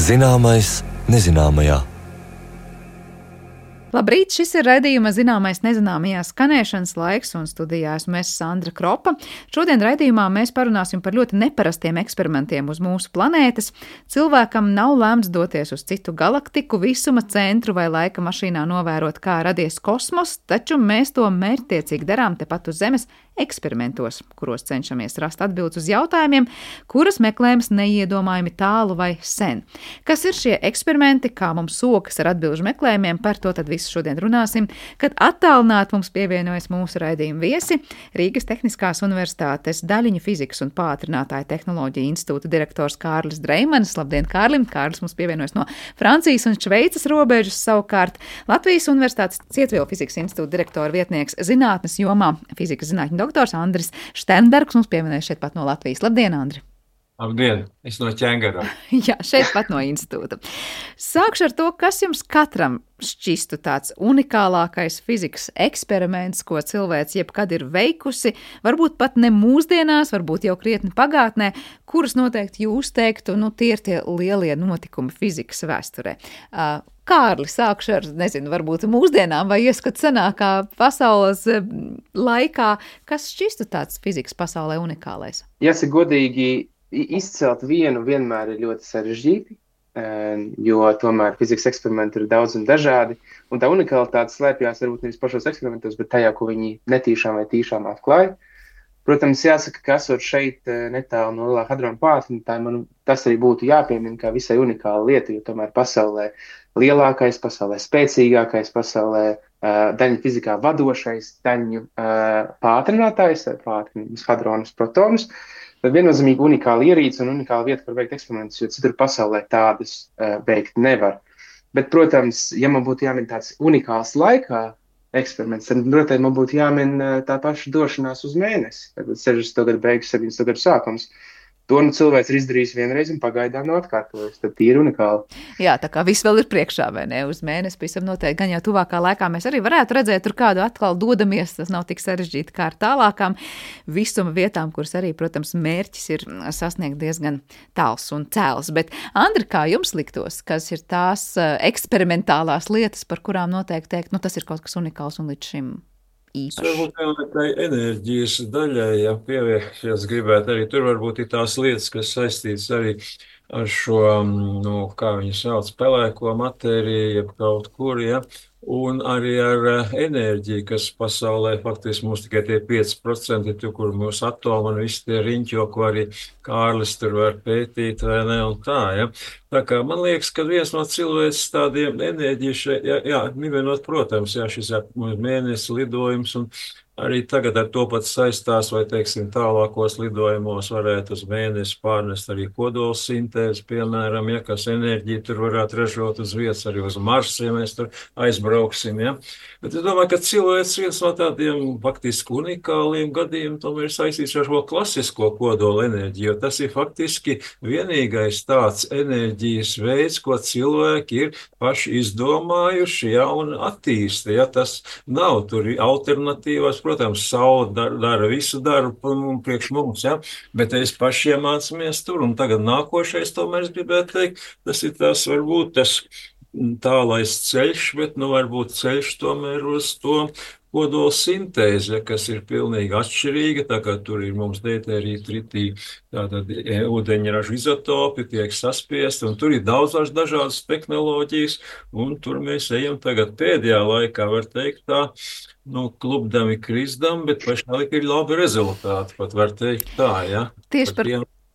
Zināmais nezināmajā. Labrīt, šis ir raidījuma Zināmais nezināmajā skanēšanas laiks, un studijā esmu es Sandra Kropa. Šodien raidījumā mēs parunāsim par ļoti neparastiem eksperimentiem uz mūsu planētas. Cilvēkam nav lēmts doties uz citu galaktiku, visuma centru vai laika mašīnā novērot, kā radies kosmos, taču mēs to mērķtiecīgi darām tepat uz Zemes eksperimentos, kuros cenšamies rast atbildes uz jautājumiem, kuras meklējams neiedomājami tālu vai sen. Kas ir šie eksperimenti, kā mums sokas ar atbilžu meklējumiem, par to tad visu šodien runāsim, kad attālināt mums pievienojas mūsu raidījuma viesi, Rīgas Tehniskās Universitātes daļiņu fizikas un pātrinātāju tehnoloģiju institūta direktors Kārlis Dreimanis. Labdien, Kārlim! Kārlis mums pievienojas no Francijas un Šveices robežas, savukārt Latvijas Universitātes Cietvielu fizikas institūta direktora vietnieks zinātnes jomā, fizikas zinātņu doktors Andris Šternbergs mums pievienojas šeit pat no Latvijas. Labdien, Andri! Labdien, es no ķēngara. Jā, šeit pat no institūta. Sākšu ar to, kas jums katram šķistu tāds unikālākais fizikas eksperiments, ko cilvēks jebkad ir veikusi, varbūt pat ne mūsdienās, varbūt jau krietni pagātnē, kurus noteikti jūs teiktu, tie ir tie lielie notikumi fizikas vēsturē. Kārli, sākšu ar, varbūt mūsdienām vai ieskat senākā pasaules laikā, kas šķistu tāds fizikas pasaulē unikālais? Jāsaka godīgi, izcelt vienu vienmēr ir ļoti sarežģīti, jo tomēr fizikas eksperimenti ir daudz un dažādi, un tā unikalitāte slēpjās varbūt nevis pašos eksperimentos, bet tajā, ko viņi netīšām vai tīšām atklāja. Protams, jāsaka, ka esot šeit netālu no Lielā hadrona pātrinātāja, tas arī būtu jāpiemina kā visai unikāla lieta, jo tomēr pasaulē lielākais, pasaulē spēcīgākais, pasaulē daļu fizikā vadošais daļu pātrinātājs, pātrinājums hadronus, protonus, tad viennozīmīgi unikāla ierīce un unikāla vieta, kur veikt eksperimentus, jo citur pasaulē tādas veikt nevar. Bet, protams, ja man būtu jāmin tāds unikāls laikā eksperiments, tad, protams, man būtu jāmin tā paša došanās uz mēnesi. Tad 60. gadu beigas, 70. gadu sākums. To cilvēks ir izdarījis vienreiz un pagaidām nav atkārtojis. Tad tie ir unikāli. Jā, tā kā viss vēl ir priekšā, vai ne? Uz mēnesi pavisam noteikti. Gan jau tuvākā laikā mēs arī varētu redzēt, tur kādu atkal dodamies. Tas nav tik sarežģīti kā ar tālākām visuma vietām, kuras arī, protams, mērķis ir sasniegt diezgan tāls un cēls. Bet, Andri, kā jums liktos, kas ir tās eksperimentālās lietas, par kurām noteikti teikt, tas ir kaut kas unikāls un līdz šim īpaši? Varbūt jau tā enerģijas daļai, ja pievienoties gribētu arī, tur varbūt ir tās lietas, kas saistītas arī ar šo, kā viņi sauc, pelēko matēriju, jeb kaut kur, ja, un arī ar enerģiju, kas pasaulē faktiski mums tikai tie 5%, kur mūsu atomi un visi tie riņķo, ko arī Kārlis tur var pētīt, vai ne, un tā, ja. Tā kā man liekas, ka viens no cilvēks tādiem enerģiju, vienot, protams, šis mēnesis lidojums, un arī tagad ar to pat saistās, vai, teiksim, tālākos lidojumos varētu uz mēnesi pārnest arī kodolsintēzi, piemēram, ja, kas enerģiju tur varētu ražot uz vietas, arī uz Marsu, ja mēs tur aizbrauksim, ja. Bet es domāju, ka cilvēks viens no tādiem faktiski unikāliem gadījumiem tomēr ir saistīts ar šo klasisko kodola enerģiju, jo tas ir faktiski vienīgais tāds enerģijas veids, ko cilvēki ir paši izdomājuši, ja, un attīsta, ja. Tas nav tur alternatīvas. Protams, saule dara visu darbu priekš mums, ja? Bet es paši iemācāmies tur, un tagad nākošais, tomēr es gribētu teikt, tas ir tas varbūt tas tālais ceļš, bet varbūt ceļš tomēr uz to kodola sintēze, kas ir pilnīgi atšķirīga, tā kā tur ir mums deutērija, tritija, tātad ūdeņraža izotopi tiek saspiesti, un tur ir daudz dažādas tehnoloģijas, un tur mēs ejam tagad pēdējā laikā, var teikt tā, klupdami krizdam, bet pašlaik ir labi rezultāti, pat var teikt tā, ja. Tieši par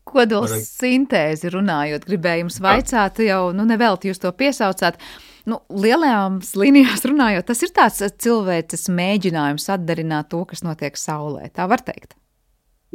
kodola sintēzi runājot, gribēju jums vaicāt, jau nevelti jūs to piesaucāt. Lielajās līnijās runājot, tas ir tāds cilvēces mēģinājums atdarināt to, kas notiek saulē. Tā var teikt?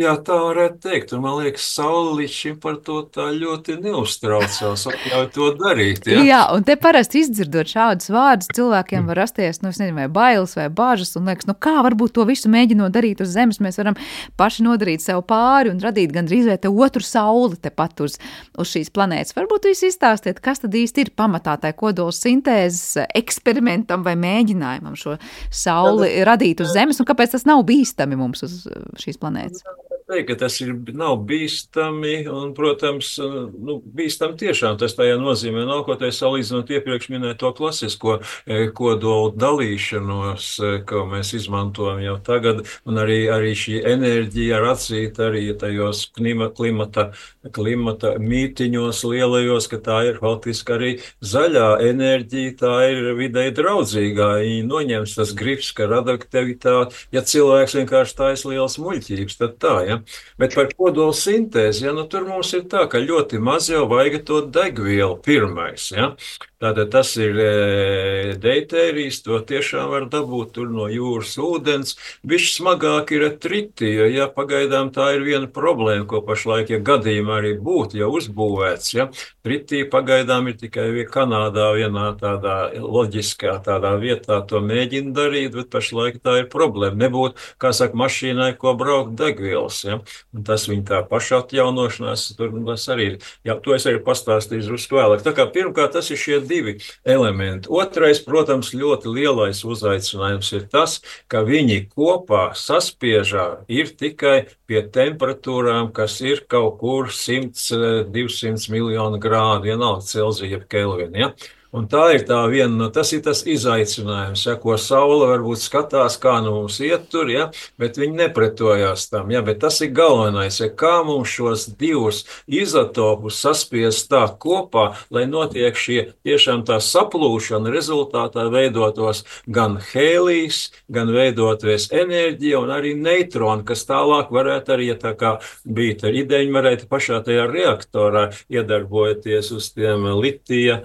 Jā, tā varētu teikt, un man liekas, saule līdz šim par to tā ļoti neuztraucās, atļauj to darīt, ja? Jā, un te parasti izdzirdot šādus vārdus, cilvēkiem var rasties, vai bailes vai bāžas, un liekas, kā varbūt to visu mēģinot darīt uz Zemes, mēs varam paši nodarīt sev pāri un radīt gandrīz vai te otru sauli tepat uz šīs planētas. Varbūt jūs izstāstiet, kas tad īsti ir pamatā tai kodola sintēzes eksperimentam vai mēģinājumam šo sauli radīt uz Zemes, un kāpēc tas nav bīstami mums uz šīs planētas? teikt, ka tas nav bīstami, un, protams, bīstami tiešām tas tajā nozīmē nav, ko te salīdzinot iepriekš minēto klasisko kodolu dalīšanos, ko mēs izmantojam jau tagad, un arī šī enerģija ar atzīt arī tajos klimata mītiņos lielajos, ka tā ir faktiski arī zaļā enerģija, tā ir videi draudzīgā, viņa noņems tas gribs, ka radioaktivitāte, ja cilvēks vienkārši taisa lielas muļķības, tad tā, ja. Bet par kodolu sintēzi, ja, tur mums ir tā, ka ļoti maz jau vajag to degvielu pirmais, ja. Tātad tas ir deutērijs, to tiešām var dabūt tur no jūras ūdens. Bišķi smagāk ir tritija, ja pagaidām tā ir viena problēma, ko pašlaik, ja gadījumā arī būtu jau uzbūvēts, ja. Tritija pagaidām ir tikai Kanādā vienā tādā loģiskā tādā vietā to mēģina darīt, bet pašlaik tā ir problēma. Nebūtu, kā saka, mašīnai, ko braukt degvielas, ja. Un tas viņa tā pašatjaunošanās, tur tas arī ir. Jā, to es arī pastāstīšu drusku vēlāk. Tā kā pirmkārt tas ir šie divi elementi. Otrais, protams, ļoti lielais uzaicinājums ir tas, ka viņi kopā saspiežā ir tikai pie temperatūrām, kas ir kaut kur 100–200 miljonu grādu, vienalga Celzija jeb Kelvina, ja? Un tā ir tā viena, tas ir tas izaicinājums, ja, ko Saule varbūt skatās, kā mums iet tur, ja, bet viņi nepretojās tam, ja, bet tas ir galvenais, ja, kā mums šos divus izotopus saspiest tā kopā, lai notiek šie tiešām tā saplūšana, rezultātā veidotos gan hēlijs, gan veidoties enerģija un arī neitroni, kas tālāk varētu arī, ja tā kā bija tā ideja, varētu pašā tajā reaktorā iedarbojoties uz tiem litija,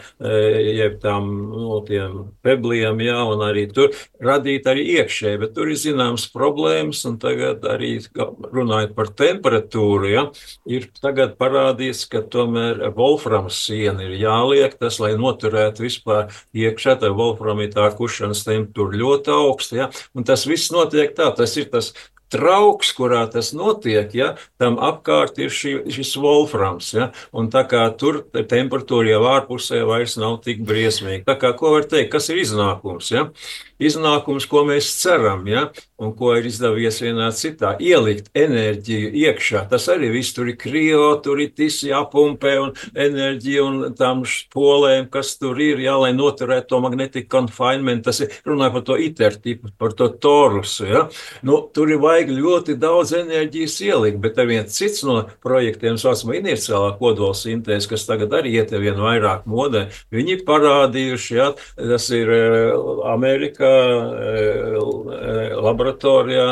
jeb tiem pebliem, jā, un arī tur radīt arī iekšēji, bet tur ir zināms problēmas, un tagad arī runājot par temperatūru, ja, ir tagad parādīts, ka tomēr volframs siena ir jāliek, tas, lai noturētu vispār iekšā, tā volframitā kušanas temperatūra ļoti augsta, ja, un tas viss notiek tā, tas ir tas trauks, kurā tas notiek, ja, tam apkārt ir šis volframs, ja, un tā kā tur temperatūra jau ārpusē vairs nav tik briesmīga. Tā kā, ko var teikt, kas ir iznākums, ja? Iznākums, ko mēs ceram, ja, un ko ir izdevies vienā citā, ielikt enerģiju iekšā. Tas arī viss tur ir krio, tur ir tis jāpumpē un enerģija un tām spolēm, kas tur ir, jā, lai noturētu to magnetic confinement. Tas ir, runāja par to ITER tipu, par to torusu, ja. Tur ir vajag ļoti daudz enerģijas ielikt, bet ar viens cits no projektiem, saucamā iniciālā kodola sintēze, kas tagad arī iet vien vairāk modē, viņi parādījuši, ja, tas ir Amerikā, laboratorijā,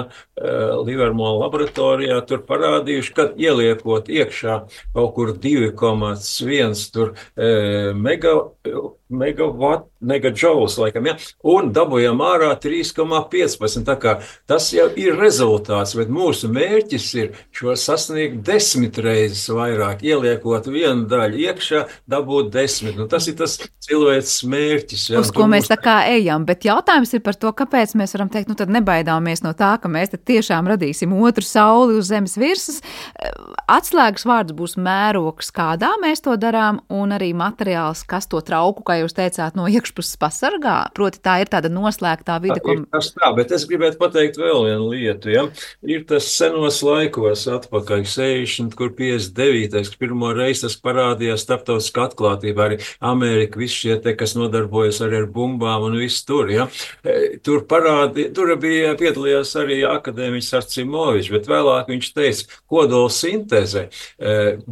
Livermore laboratorijā, tur parādījuši, ka ieliekot iekšā kaut kur 2,1 tur megajoules, laikam, ja, un dabujam ārā 3,15. Tā kā tas jau ir rezultāts, bet mūsu mērķis ir šo sasniegt 10 reizes vairāk, ieliekot vienu daļu iekšā, dabūt 10. Tas ir tas cilvēks mērķis. Ja, uz ko mēs tā kā ejam, bet jautājums ir par to, kāpēc mēs varam teikt, tad nebaidāmies no tā, ka mēs tad tiešām radīsim otru sauli uz zemes virsmas. Atslēgas vārds būs mērogs, kādā mēs to darām, un arī materiāls, kas to trauku, kā jūs teicāt, no iekšpuses pasargā. Proti tā ir tāda noslēgtā vide, ko... Tas tā, bet es gribētu pateikt vēl vienu lietu, ja. Ir tas senos laikos atpakaļ, 60, kur 59, pirmo reizi tas parādījās starptautiskā atklātībā, arī Amerika, visi šie te, kas nodarbojas arī ar bumbām un viss tur, ja. Tur piedalījās arī akadēmiķis Arcimovičs, bet vēlāk viņš teica, kodola sintēze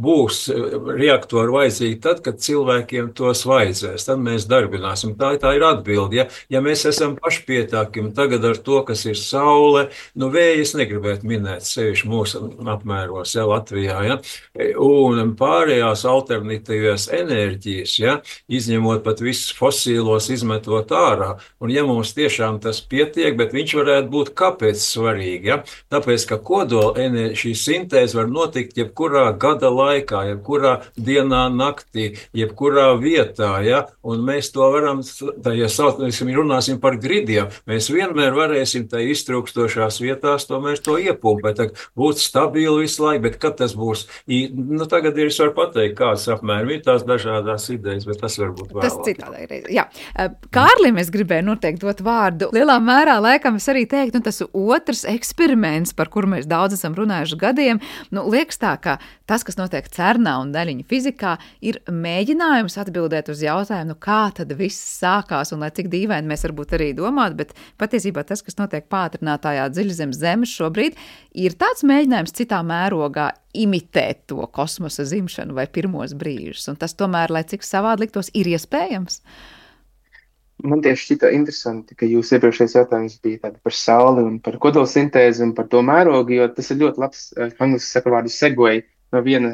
būs reaktori vajadzīgi tad, kad cilvēkiem tos vajadzēs. Tad mēs darbināsim. Tā ir atbilde. Ja mēs esam pašpietāki tagad ar to, kas ir saule, vēju es negribētu minēt sevišķi mūsu apmēros, ja, Latvijā, ja, un pārējās alternatīvās enerģijas, ja, izņemot pat visus fosīlos, izmetot ārā. Un ja mums tiešām tas pietiek, bet viņš varētu būt kāpēc svarīgi, ja? Tāpēc, ka kodola šī sintēze var notikt jebkurā gada laikā, jebkurā dienā, naktī, jebkurā vietā, ja? un mēs to varam, ja runāsim par gridiem, mēs vienmēr varēsim tai iztrūkstošās vietās tomēr to iepumpēt, būt stabili visu laiku, bet kad tas būs, nu tagad es varu pateikt, kāds apmēram ir tās dažādās idejas, bet tas varbūt vēlāk. Tas citādi reiz, jā. Kārlim es gribēju noteikti dot vārdu. Lielā mērā, laikam, es arī teiktu, tas otrs eksperiments, par kuru mēs daudz esam runājuši gadiem, liekas tā, ka tas, kas notiek CERNā un daļiņu fizikā, ir mēģinājums atbildēt uz jautājumu, kā tad viss sākās, un lai cik dīvaini mēs varbūt arī domātu, bet patiesībā tas, kas notiek pātrinātājā dziļi zem zemes šobrīd, ir tāds mēģinājums citā mērogā imitēt to kosmosa zimšanu vai pirmos brīžus, un tas tomēr, lai cik savādi liktos, ir iespējams. Man tieši šķita interesanti, ka jūs iepriekšējais jautājums bija tāda par sauli un par kodolsintēzi un par to mērogu, jo tas ir ļoti labs, angliski saka vārdu segway no viena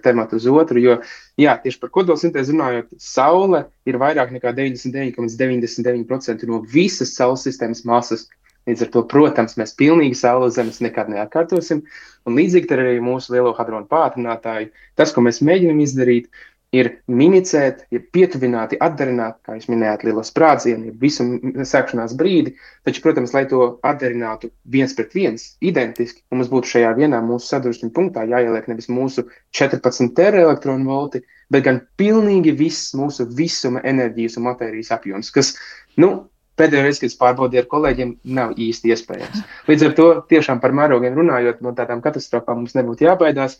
temata uz otru, jo, jā, tieši par kodolsintēzi runājot, saule ir vairāk nekā 99,99% no visas saules sistēmas masas. Līdz ar to, protams, mēs pilnīgi saule uz zemes nekad neatkārtosim, un līdzīgi ar arī mūsu lielo hadronu pātrinātāju. Tas, ko mēs mēģinam izdarīt, ir mimicēt, ir pietuvināti, atdarināt, kā jūs minējāt, lielo sprādzienu, ir visu sākšanās brīdi, taču, protams, lai to atdarinātu 1:1, identiski, un mums būtu šajā vienā mūsu sadursmes punktā jāieliek nevis mūsu 14 teraelektronvolti, bet gan pilnīgi viss mūsu visuma enerģijas un matērijas apjoms, kas, pēdējo reizi, kad es pārbaudīju ar kolēģiem, nav īsti iespējams. Līdz ar to tiešām par mērogiem runājot, no tādām katastrofām mums nebūtu jābaidās,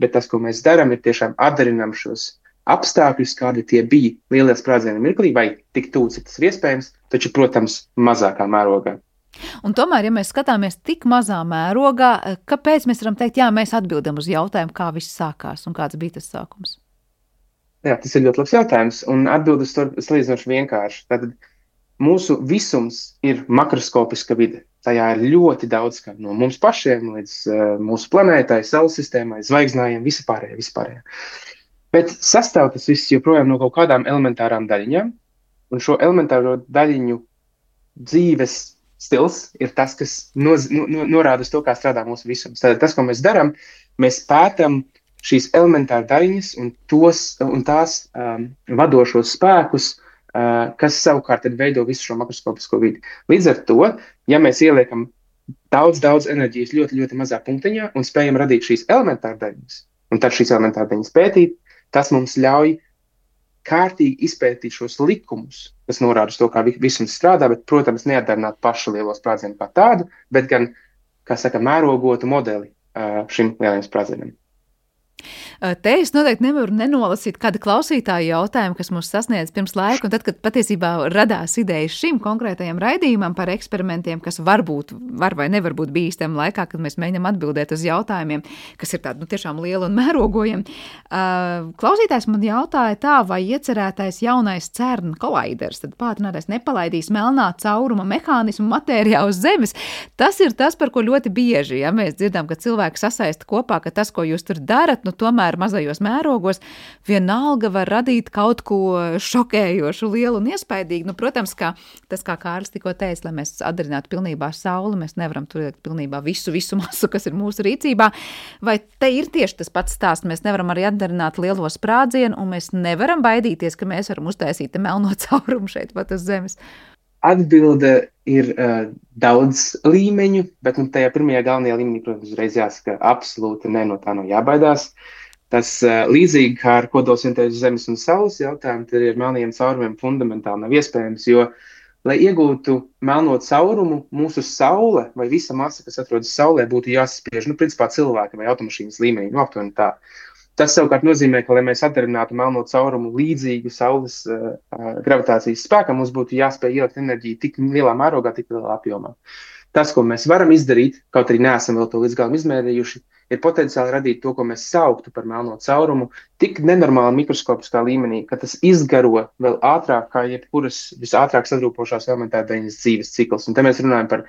bet tas, ko mēs darām, ir tiešām atdarinām šos apstākļus, kādi tie bija lielie sprādzieni mirklī, vai tik tuvu, cik tas ir iespējams, taču, protams, mazākā mērogā. Un tomēr, ja mēs skatāmies tik mazā mērogā, kāpēc mēs varam teikt, jā, mēs atbildam uz jautājumu, kā viss sākās un kāds bija tas sākums? Jā, tas ir ļoti labs jautājums, un atbildes to salīdzinoši vienkārši. Tātad mūsu visums ir makroskopiska vide. Tajā ir ļoti daudz, kā no mums pašiem līdz mūsu planētai, saules sistēmai, zvaigznājiem, vispārējie. Bet sastāv tas viss joprojām no kaut kādām elementārām daļiņām, un šo elementāro daļiņu dzīves stils ir tas, kas norāda uz to, kā strādā mūsu visums. Tātad tas, ko mēs darām, mēs pētam šīs elementāra daļiņas un tās vadošos spēkus, kas savukārt tad veido visu šo makroskopisko vidi. Līdz ar to, ja mēs ieliekam daudz enerģijas ļoti, ļoti mazā punktiņā un spējam radīt šīs elementāra daļiņas, un tad šīs elementāra daļiņas pētīt, tas mums ļauj kārtīgi izpētīt šos likumus, kas norāda uz to, kā visums strādā, bet, protams, neatdarināt pašu lielo sprādzienu kā tādu, bet gan, kā saka, mērogotu modeli šim lielajam sprādzienam. Te es noteikti nevaru nenolasīt kādu klausītāju jautājumu, kas mūs sasniedz pirms laika, un tad, kad patiesībā radās idejas šim konkrētajam raidījumam par eksperimentiem, kas var vai nevar būt bīstami laikā, kad mēs mēģinām atbildēt uz jautājumiem, kas ir tādi tiešām lieli un mērogojami. Klausītājs man jautāja tā, vai iecerētais jaunais CERN kollaiders, tad pātrinātais nepalaidīs melnā cauruma mehānismu matērijā uz Zemes. Tas ir tas, par ko ļoti bieži, ja mēs dzirdam, ka cilvēki sasaista kopā, ka tas, ko jūs tur darat, tomēr mazajos mērogos vienalga var radīt kaut ko šokējošu, lielu un iespaidīgu. Protams, ka tas, kā Kārlis tikko teica, lai mēs atdarinātu pilnībā sauli, mēs nevaram turēt pilnībā visu masu, kas ir mūsu rīcībā. Vai te ir tieši tas pats stāsts? Mēs nevaram arī atdarināt lielo sprādzienu, un mēs nevaram baidīties, ka mēs varam uztaisīt melno caurumu šeit pat uz Zemes. Atbilde ir daudz līmeņu, bet tajā pirmajā galvenajā līmenī, protams, uzreiz jāsaka, absolūti no tā nav jābaidās. Tas līdzīgi kā ar kodolsintēzi Zemes un Saules jautājumu, tad ar melnajiem caurumiem fundamentāli nav iespējams, jo, lai iegūtu melno caurumu, mūsu Saule vai visa masa, kas atrodas Saulē, būtu jāsaspiež, principā cilvēka vai automašīnas līmenī, aptuveni tā. Tas savukārt nozīmē, ka, lai mēs atdarinātu melno caurumu līdzīgu Saules gravitācijas spēkam, mums būtu jāspēj ielikt enerģiju tik lielā mērogā, tik lielā apjomā. Tas, ko mēs varam izdarīt, kaut arī neesam vēl to līdz galam izmērījuši, ir potenciāli radīt to, ko mēs sauktu par melno caurumu, tik nenormāli mikroskopiskā līmenī, ka tas izgaro vēl ātrāk kā jebkuras visātrāk sadrūpošās elementāra daļiņas dzīves cikls. Un te mēs runājam par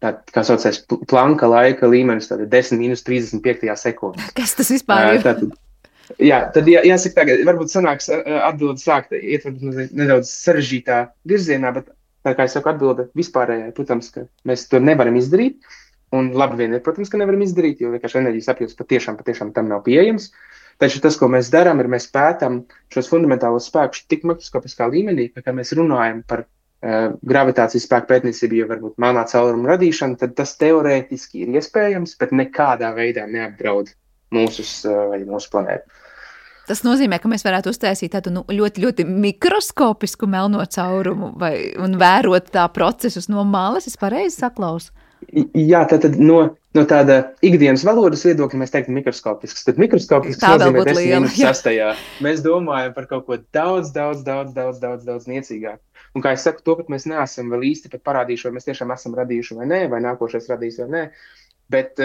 kā saucais Planka laika līmenis, tāda 10-35 sekundē. Kas tas vispār ir? Tad jāsaka tagad, varbūt sanāks atbildi sākt ietver nedaudz sarežģītā virzienā, bet tā kā es saku atbilde vispārējai, protams, ka mēs to nevaram izdarīt, un labi vien ir, protams, ka nevaram izdarīt, jo vienkārši enerģijas apjoms patiešām tam nav pieejams, Taču tas, ko mēs darām, ir mēs pētām šos fundamentālos spēkus tik mikroskopiskā līmenī, ka, kad mēs runājam par gravitācijas spēku pētniecību, ja varbūt melnā cauruma radīšanu, tad tas teorētiski ir iespējams, bet nekādā veidā neapdraud mūsu planētu. Tas nozīmē, ka mēs varētu uztaisīt tādu ļoti, ļoti mikroskopisku melno caurumu un vērot tā procesus no malas, es pareizi saklausu? Jā, tātad no tāda ikdienas valodas viedokļa mēs teiktu mikroskopisks. Tad mikroskopisks nozīmē 10⁻6. Mēs domājam par kaut ko daudz niecīgāk. Un kā es saku, to pat mēs neesam vēl īsti pat parādījuši, vai mēs tiešām esam radījuši vai nē, vai nākošais radīs vai nē. Bet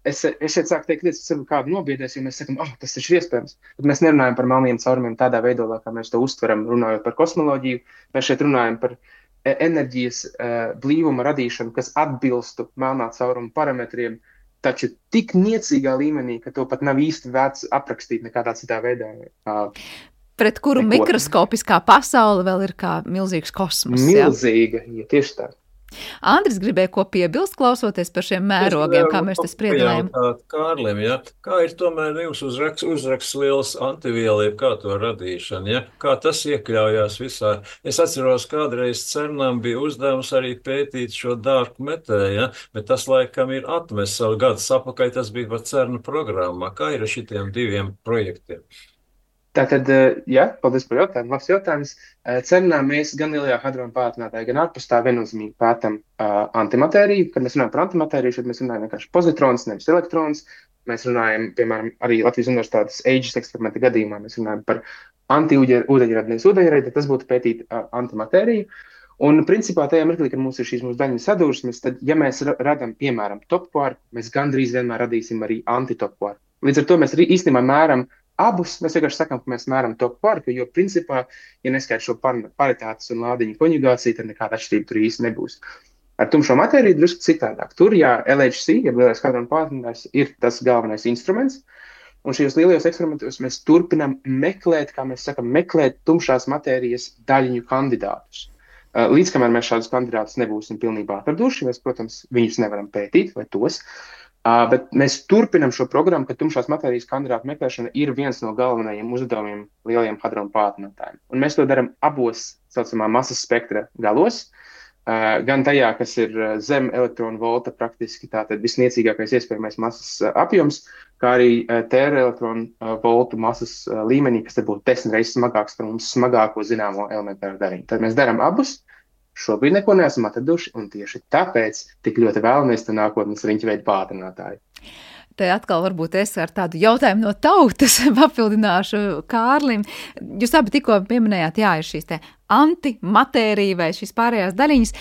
es šeit sāku teikt lietas, kas kādu nobiedēs, jo mēs sakam, tas taču ir iespējams. Bet mēs nerunājam par melniem caurumiem tādā veidolā, kā mēs to uztveram, runājot par kosmoloģiju. Mēs šeit runājam par enerģijas blīvuma radīšanu, kas atbilstu melnā cauruma parametriem, taču tik niecīgā līmenī, ka to pat nav īsti vērts aprakstīt nekādā citā veidā. Pret kuru mikroskopiskā pasaule vēl ir kā milzīgs kosmos. Milzīga, ja tieši tā. Andris gribēja ko piebilst, klausoties par šiem mērogiem, kā mēs te spriedējam. Kārlim, ja? Kā ir tomēr jūsu uzraksts liels antiviela, kā to radīšana, ja? Kā tas iekļaujās visā? Es atceros, kādreiz CERNam bija uzdevums arī pētīt šo dark matter, ja? Bet tas laikam ir atmests savu gadus apakaļ, tas bija par CERN programmā. Kā ir ar šitiem diviem projektiem? Tātad, paldies par jautājumu. Labs jautājums. CERNā mēs gan lielajā hadrona pātrinātājā, gan ārpus tā viennozīmīgi pētam antimatēriju. Kad mēs runājam par antimatēriju, šeit mēs runājam vienkārši pozitrons, nevis elektrons. Mēs runājam, piemēram, arī Latvijas Universitātes AGES eksperimenta gadījumā, mēs runājam par anti-ūdeņradi, nevis ūdeņradi, tad tas būtu pētīt antimatēriju. Un principā tajā mirklī, kad mums ir šīs mūsu daļiņu sadursmes, tad, ja mēs radam, piemēram, topkvārku, mēs gandrīz vienmēr radīsim arī antitopkvārku. Līdz ar to mēs īstenībā mēram abus, mēs vienkārši sakām, ka mēs mēram topkvārku, jo principā, ja neskait šo paritātes un lādiņu konjugāciju, tad nekāda atšķirība tur īsti nebūs. Ar tumšo matēriju drusku citādāk. Tur, LHC, ja lielais hadrona pātrinātājs, ir tas galvenais instruments, un šajos lielajos eksperimentos mēs turpinām meklēt, kā mēs sakam, meklēt tumšās matērijas daļiņu kandidātus. Līdz kamēr mēs šādus kandidātus nebūsim pilnībā atraduši, mēs, protams, viņus nevaram pētīt vai tos, bet mēs turpinam šo programmu, ka tumšās matērijas kandidātu meklēšana ir viens no galvenajiem uzdevumiem lielajiem hadrona pātrinātājiem. Un mēs to darām abos, saucamā masas spektra galos, gan tajā, kas ir zem elektronu volta, praktiski tātad visniecīgākais iespējamais masas apjoms, kā arī tēra elektronu voltu masas līmenī, kas tad būtu 10 reizes smagāks par mums smagāko zināmo elementāru daļiņu. Tad mēs darām abus. Šobrīd neko neesam atraduši, un tieši tāpēc tik ļoti vēlamies to nākotnes riņķveida pātrinātāju. Te atkal varbūt es ar tādu jautājumu no tautas papildināšu Kārlim. Jūs abi tikko pieminējāt, ir šīs te antimatērija vai šīs pārējās daļiņas,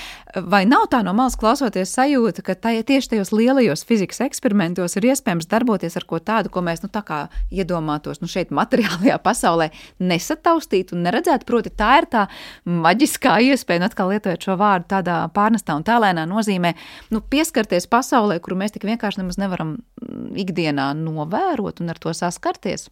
vai nav tā no malas klausoties sajūta, ka tieši tajos lielajos fizikas eksperimentos ir iespējams darboties ar ko tādu, ko mēs tā kā iedomātos šeit materiālajā pasaulē nesataustīt un neredzēt, proti tā ir tā maģiskā iespēja, un atkal lietojot šo vārdu tādā pārnestā un tēlēnā nozīmē, pieskarties pasaulē, kuru mēs tik vienkārši nemaz nevaram ikdienā novērot un ar to saskarties.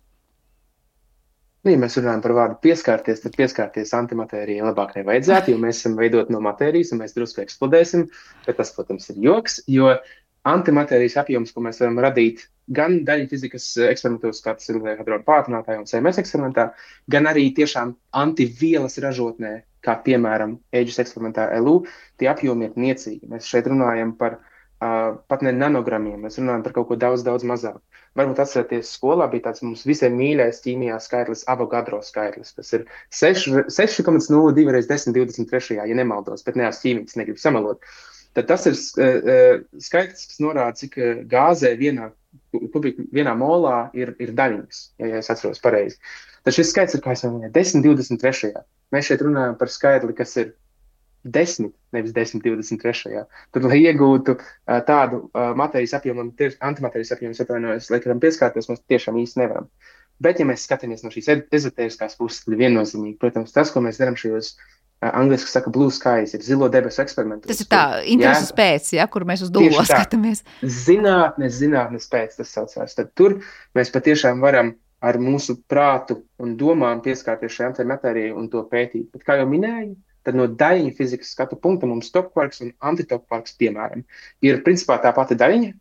Ja mēs runājam par vārdu pieskārties, tad pieskārties antimatērijai labāk nevajadzētu, jo mēs esam veidot no matērijas un mēs drusku eksplodēsim, bet tas, protams, ir joks, jo antimatērijas apjoms, ko mēs varam radīt gan daļu fizikas eksperimentos, kā tas ir hadrona pātrinātājā un CMS eksperimentā, gan arī tiešām antivielas ražotnē, kā piemēram AGES eksperimentā LU, tie apjomi ir niecīgi. Mēs šeit runājam par pat ne nanogramiem, mēs runājam par kaut ko daudz mazāk. Varbūt atcerieties, skolā bija tāds mums visiem mīļais ķīmijā skaitlis Avogadro skaitlis, kas ir 6,02 reiz 1023, ja nemaldos, bet neās ķīmijas negribu samalot. Tad tas ir skaitlis, kas norāda, cik gāzē vienā molā ir daļiņas, ja es atceros pareizi. Tad šis skaits ir, kā es jau minēju, 1023. Mēs šeit runājam par skaitli, kas ir 10, nevis 1023. Tad, lai iegūtu tādu matērijas apjomu, antimatērijas apjomu, atvainojos, lai kādam pieskārties, mēs tiešām īsti nevaram. Bet, ja mēs skatāmies no šīs ezotēriskās puses, tad viennozīmīgi, protams, tas, ko mēs darām šajos angliski saka blue skies, ir zilo debesu eksperimentos. Tas ir tā intereses pēc, kur mēs uz dūlo skatāmies. Zinātnes pēc tas saucās. Tad tur mēs patiešām varam ar mūsu prātu un domām pieskārties šai antimatērijai un to pētīt. Bet, kā jau minēju, tad no daļiņu fizikas skatu punkta mums topkvarks un antitopkvarks, piemēram, ir principā tā pati daļiņa,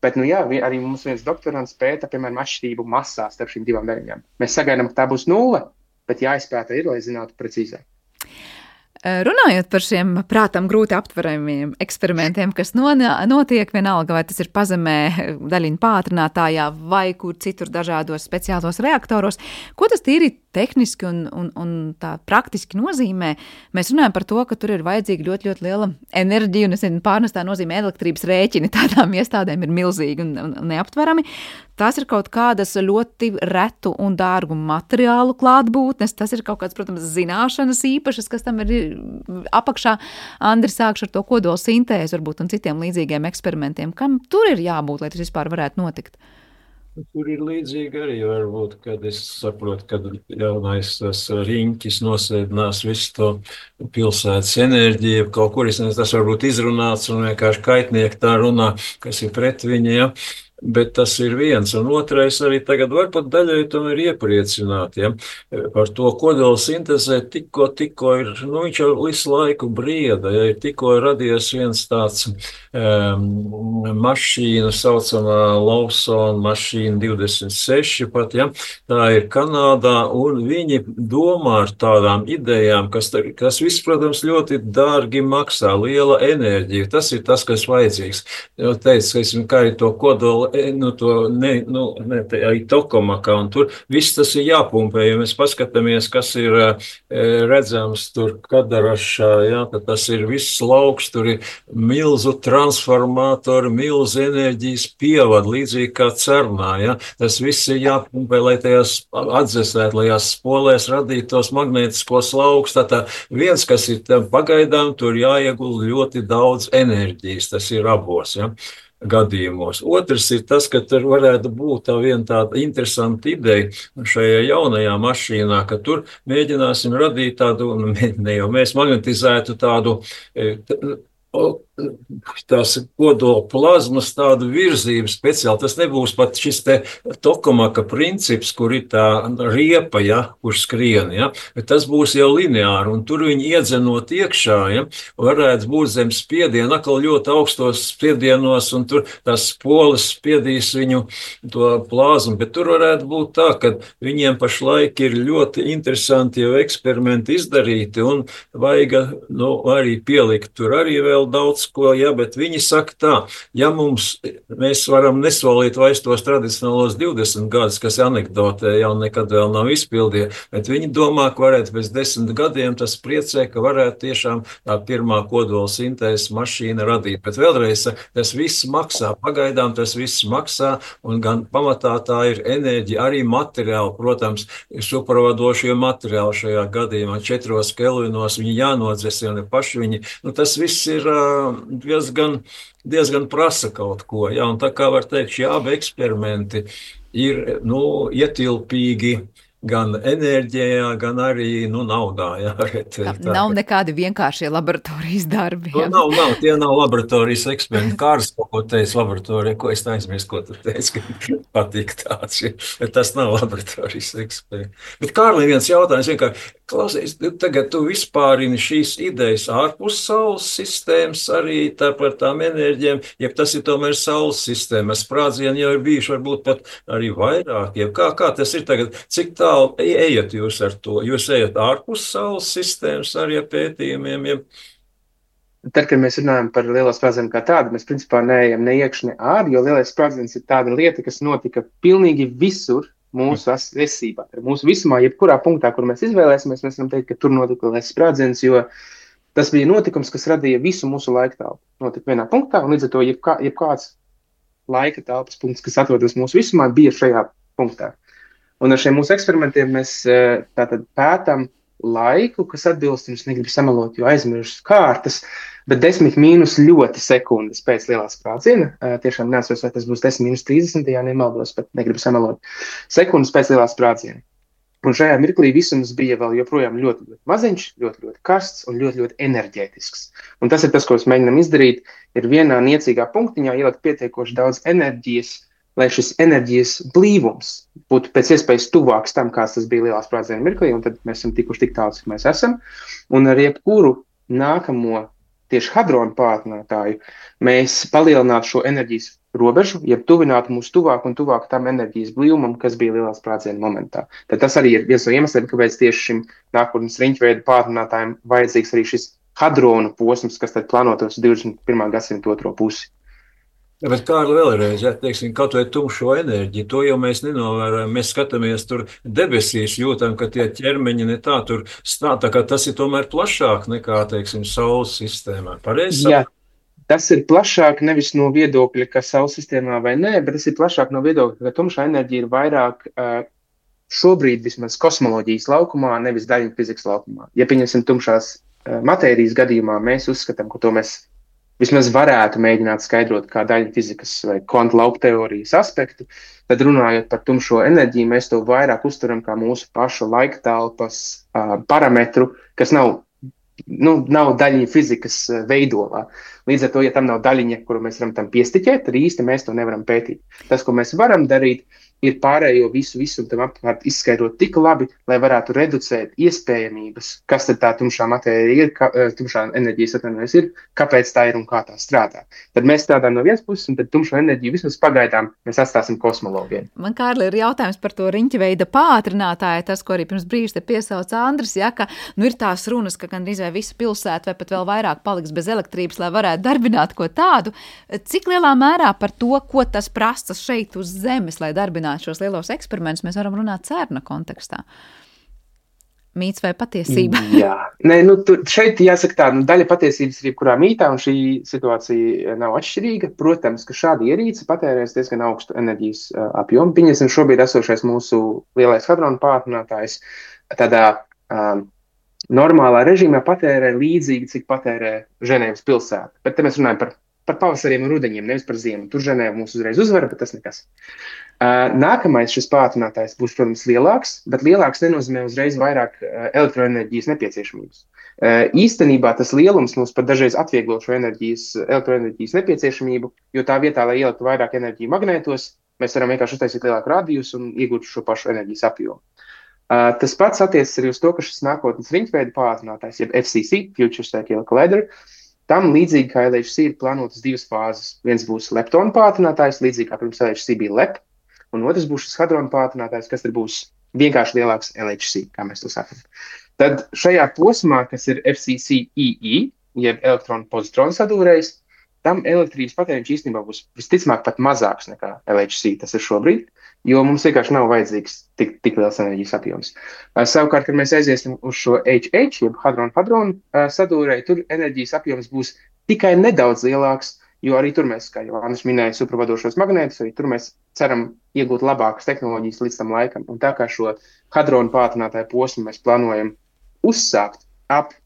Bet, arī mums viens doktorants pēta, piemēram, atšķirību masā starp šīm divām daļiņām. Mēs sagaidām, ka tā būs 0, bet jāizpēta ir, lai zinātu precīzāk. Runājot par šiem prātam grūti aptveramiem eksperimentiem, kas notiek vienalga, vai tas ir pazemē daļiņu pātrinātājā vai kur citur dažādos speciālos reaktoros, ko tas tīri tehniski un tā praktiski nozīmē? Mēs runājam par to, ka tur ir vajadzīga ļoti, ļoti liela enerģija, un pārnestā nozīmē elektrības rēķini tādām iestādēm ir milzīgi un neaptverami. Tās ir kaut kādas ļoti retu un dārgu materiālu klātbūtnes, tas ir kaut kāds, protams, zināšanas īpašas, kas tam ir apakšā. Andri, sākšu ar to kodola sintēzi varbūt un citiem līdzīgiem eksperimentiem. Kam tur ir jābūt, lai tas vispār varētu notikt? Tur ir līdzīgi arī varbūt, kad es saprotu, kad jaunais tas riņķis nosēdinās visu to pilsētas enerģiju, kaut kur tas varbūt izrunāts un vienkārši kaitnieki tā runā, kas ir pret viņu, ja. Bet tas ir viens, un otrais arī tagad varbūt daļai tomēr iepriecināt, ja, par to kodola sintezē tikko ir, viņš jau visu laiku brieda, ja ir tikko radies viens tāds mašīna, saucamā Lawson mašīna 26 pat, ja, tā ir Kanādā, un viņi domā ar tādām idejām, kas viss, protams, ļoti dārgi maksā, liela enerģija, tas ir tas, kas vajadzīgs. Jau teicu, kā arī to kodola arī tokamakā, un tur viss tas ir jāpumpē, ja mēs paskatāmies, kas ir redzams tur Kadarašā, jā, tad tas ir viss lauks, tur ir milzu transformātori, milzu enerģijas pievad, līdzīgi kā Cernā, jā, tas viss ir jāpumpē, lai tajās atdzesētu, lai jās spolēs radītu tos magnētiskos laukus, tātad viens, kas ir pagaidām, tur jāiegulda ļoti daudz enerģijas, tas ir abos, jā. Gadījumos. Otrs ir tas, ka tur varētu būt viena tāda interesanta ideja šajā jaunajā mašīnā, ka tur mēģināsim radīt tādu, ne jau mēs magnetizētu tādu tās kodola plazmas tādu virzību speciāli. Tas nebūs pat šis te tokamaka princips, kur ir tā riepa, ja, kur skrien, ja, bet tas būs jau lineāri, un tur viņi iedzenot iekšā, ja, varētu būt zem spiediena, atkal ļoti augstos spiedienos, un tur tās poles spiedīs viņu to plazmu, bet tur varētu būt tā, ka viņiem pašlaik ir ļoti interesanti jau eksperimenti izdarīti, un vajag, arī pielikt tur arī vēl daudz ko, ja, bet viņi saka tā, ja mēs varam nesolīt vairs tos tradicionālos 20 gadus, kas anekdotē jau nekad vēl nav izpildīja, bet viņi domā, ka varētu pēc 10 gadiem tas priecē, ka varētu tiešām tā pirmā kodola sintēzes mašīna radīt. Bet vēlreiz, tas viss maksā, pagaidām tas viss maksā, un gan pamatā tā ir enerģija, arī materiāli, protams, supravadošie materiāli šajā gadījumā 4 kelvinos, viņi jānodzesina paši viņi, tas viss ir diezgan prasa kaut ko, ja, un tā kā var teikt, šie abi eksperimenti ir, ietilpīgi gan enerģijā, gan arī, naudā, jā. Nav nekādi vienkāršie laboratorijas darbi. Jā. Tie nav laboratorijas eksperimenti. Kārs kaut ko teica laboratorija, ko es aizmirstu, ko tu teici, ka patīk tāds, ja. Bet tas nav laboratorijas eksperimenti. Bet Kārli, viens jautājums, vienkārši, klausies, tagad tu vispārini šīs idejas ārpus Saules sistēmas, arī par tām enerģiem, ja tas ir tomēr Saules sistēma, sprādzieni jau ir bijuši varbūt pat arī vairāk, ja kā tas ir tagad, cik tālu ejat jūs ar to? Jūs ejat ārpus Saules sistēmas arī ar pētījumiem? Ja? Tad, kad mēs runājam par lielo sprādzienu kā tādu, mēs principā neejam ne iekš, ne ārā, jo lielais sprādziens ir tāda lieta, kas notika pilnīgi visur mūsu esībā. Mūsu visumā, jebkurā punktā, kur mēs izvēlēsimies, mēs varam teikt, ka tur notika lielais sprādziens, jo tas bija notikums, kas radīja visu mūsu laika telpu. Notika vienā punktā, un līdz ar to jebkāds laika telpas punkts, kas atrodas mūsu visumā, bija šajā punktā. Un ar šiem mūsu eksperimentiem mēs tātad pētam laiku, kas atbilst, jums negribu samalot, jo aizmirstu kārtas, bet 10 mīnus ļoti sekundes pēc lielā sprādziena. Tiešām neatceros, vai tas būs 10 mīnus 30, ja nemaldos, bet negribu samalot. Sekundes pēc lielā sprādziena. Un šajā mirklī visums bija vēl joprojām ļoti, ļoti maziņš, ļoti, ļoti karsts un ļoti, ļoti enerģētisks. Un tas ir tas, ko mēs mēģinām izdarīt, ir vienā niecīgā punktiņā ielikt pietiekoši daudz enerģijas, lai šis enerģijas blīvums būtu pēc iespējas tuvāks tam, kāds tas bija lielā sprādziena mirklī, un tad mēs esam tikuši tik tālu, cik mēs esam. Un ar jebkuru nākamo tieši hadronu pātrinātāju, mēs palielinātu šo enerģijas robežu, jeb tuvinātu mūs tuvāk un tuvāk tam enerģijas blīvumam, kas bija lielā sprādziena momentā. Tad tas arī ir viens no iemesliem, kāpēc tieši šim nākotnes riņķveida pātrinātājiem vajadzīgs arī šis hadronu posms, kas tad plānotos 21. gadsimta otro pusi. Ja, bet Kārli vēlreiz, ja, teiksim, kaut vai tumšo enerģiju, to jau mēs nenovērojam. Mēs skatāmies tur debesīs, jūtam, ka tie ķermeņi ne tā tur stāv, tā kā tas ir tomēr plašāk nekā, teiksim, Saules sistēmā. Pareizi? Jā, tas ir plašāk nevis no viedokļa, ka Saules sistēmā vai nē, bet tas ir plašāk no viedokļa, ka tumšā enerģija ir vairāk šobrīd vismaz kosmoloģijas laukumā, nevis daļiņu fizikas laukumā. Ja pieņemsim tumšās matērijas gadījumā, mēs uzskatām, ka to mēs vismaz varētu mēģināt skaidrot kā daļu fizikas vai kvantu lauku teorijas aspektu, tad runājot par tumšo enerģiju, mēs to vairāk uztveram kā mūsu pašu laika telpas parametru, kas nav daļiņa fizikas veidolā. Līdz ar to, ja tam nav daļiņa, kuru mēs varam tam piestiķēt, tad īsti mēs to nevaram pētīt. Tas, ko mēs varam darīt, ir pārējo visu un tam apkārt izskaidrot tik labi, lai varētu reducēt iespējamības, kas tad tā tumšā matērija ir, tumšā enerģijas atvainojas ir, kāpēc tā ir un kā tā strādā. Tad mēs strādājam no vienas puses, un tad tumšo enerģiju vismaz pagaidām mēs atstāsim kosmologiem. Man, Kārli, ir jautājums par to riņķveida pātrinātāju, tas, ko arī pirms brīža te piesauca Andris, ja, ka ir tās runas, ka gandrīz vai visa pilsēta vai pat vēl vairāk paliks bez elektrības, lai varētu darbināt ko tādu. Cik lielā mērā par to, ko tas prasa šeit uz Zemes, lai darbinātu šos lielos eksperimentus, mēs varam runāt CERN kontekstā? Mīts vai patiesība? Jā, šeit jāsaka tā, daļa patiesības ir jebkurā mītā, un šī situācija nav atšķirīga. Protams, ka šāda ierīce patērēs diezgan augstu enerģijas apjomu. Pieņemsim šobrīd esošais mūsu lielais hadronu pātrinātājs tādā normālā režīmā patērē līdzīgi, cik patērē Ženēvas pilsēta. Bet te mēs runājam par pavasariem un rudeņiem, nevis par ziemu. Tur Ženēva mūs uzreiz uzvara, bet tas nekas. Nākamais šis pātrinātājs būs, protams, lielāks, bet lielāks nenozīmē uzreiz vairāk elektroenerģijas nepieciešamības. Īstenībā tas lielums mums pat dažreiz atvieglo šo elektroenerģijas nepieciešamību, jo tā vietā, lai ieliktu vairāk enerģiju magnētos, mēs varam vienkārši uztaisīt lielāku radiusu un iegūt šo pašu enerģijas apjomu. Tas pats attiecas arī uz to, ka šis nākotnes riņķveida pātrinātājs, jeb FCC, Future Cycle Collider, tam līdzīgi kā LHC ir plānotas divas fāzes. Viens būs leptonu pātrinātājs, līdzīgi kā pirms LHC bija LEP, un otrs būs šis hadronu pātrinātājs, kas tad būs vienkārši lielāks LHC, kā mēs to sakam. Tad šajā posmā, kas ir FCC-EE, jeb elektronu pozitronu sadūrējs, tam elektrības patēriņš īstenībā būs visticamāk pat mazāks nekā LHC tas ir šobrīd, jo mums vienkārši nav vajadzīgs tik liels enerģijas apjoms. Savukārt, kad mēs aiziesim uz šo HH, jeb hadronu sadūrēju, tur enerģijas apjoms būs tikai nedaudz lielāks, jo arī tur mēs, kā jau Andris minēja, supravadošos magnētus, arī tur mēs ceram iegūt labākas tehnoloģijas līdz tam laikam. Un tā kā šo hadronu pātrinātāju posmu mēs plānojam uzsākt ap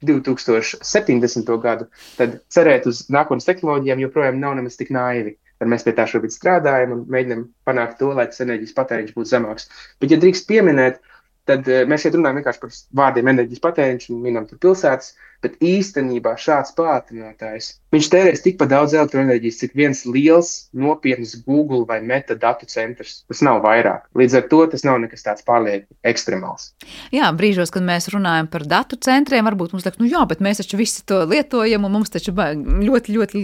2070. Gadu, tad cerēt uz nākotnes tehnoloģijām joprojām nav nemaz tik naivi. Tad mēs pie tā šobrīd strādājam un mēģinam panākt to, lai tas enerģijas patēriņš būtu zemāks. Bet, ja drīkst pieminēt, tad mēs šeit runājam vienkārši par vārdiem enerģijas patēriņš un minam tur pilsētas, bet īstenībā šāds pātrinātājs, viņš tērēs tikpat daudz elektroenerģijas, cik viens liels, nopietns Google vai Meta datu centrs. Tas nav vairāk. Līdz ar to tas nav nekas tāds pārlieku ekstremāls. Jā, brīžos, kad mēs runājam par datu centriem, varbūt mums liekas, jā, bet mēs taču visi to lietojam, un mums taču ļoti, ļoti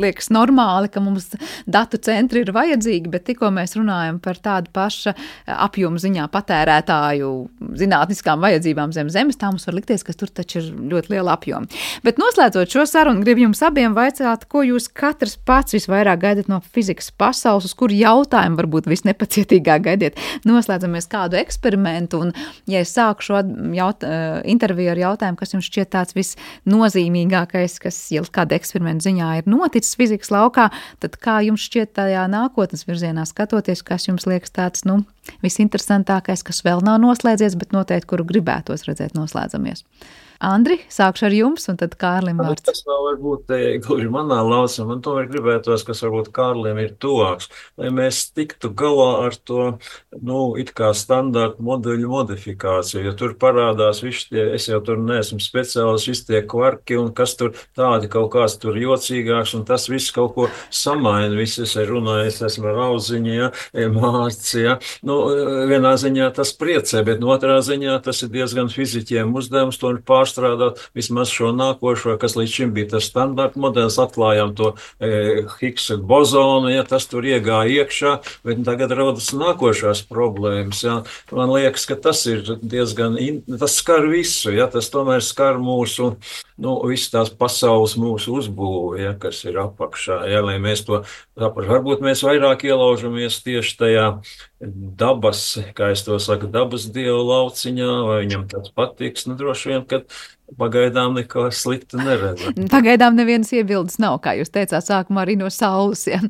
liekas normāli, ka mums datu centri ir vajadzīgi, bet tikko mēs runājam par tādu paša apjomu ziņā patērētāju zinātniskām vajadzībām zem zemes, tā mums var likties, ka tur taču ir ļoti liela apjoma. Bet noslēdzot šo sarunu, gribu jums abiem vaicāt, ko jūs katrs pats visvairāk gaidat no fizikas pasaules, uz kuru jautājumu varbūt visnepacietīgāk gaidiet. Noslēdzamies kādu eksperimentu, un ja es sāku šo interviju ar jautājumu, kas jums šķiet tāds visnozīmīgākais, kas jau kāda eksperimenta ziņā ir noticis fizikas laukā, tad kā jums šķiet tajā nākotnes virzienā skatoties, kas jums liekas tāds, visinteresantākais, kas vēl nav noslēdzies, bet noteikti, kuru gribētos redzēt noslēdzamies. Andri, sākšu ar jums, un tad Kārlim vārds. Tas vēl varbūt gluži manā lausā, man tomēr gribētos, kas varbūt Kārlim ir tuvāks, lai mēs tiktu galā ar to, it kā standarta moduļu modifikāciju, jo tur parādās visi tie, es jau tur neesmu speciālis, visi tie kvarki, un kas tur tādi kaut kāds tur jocīgāks, un tas viss kaut ko samaina, visi es runāju, es esmu ar auziņu, Mārci, vienā ziņā tas priecē, bet no otrā ziņā tas ir diezgan fiziķiem uzdevums to pārstrādāt, vismaz šo nākošo, kas līdz šim bija tas standarta modelis, atklājām to Higgsa bozonu, ja tas tur iegāja iekšā, bet tagad rodas nākošās problēmas. Ja. Man liekas, ka tas ir diezgan, tas skar visu, ja, tas tomēr skar mūsu, visu tās pasaules mūsu uzbūvi, ja, kas ir apakšā, ja, lai mēs to saprastu. Varbūt mēs vairāk ielaužamies tieši tajā dabas, kā es to saku, dabas dievu lauciņā, vai viņam tas patiks, droši vien, ka pagaidām neko sliktu neredz. Pagaidām nevienas iebildes nav, kā jūs teicāt, sākumā arī no saules. Ja.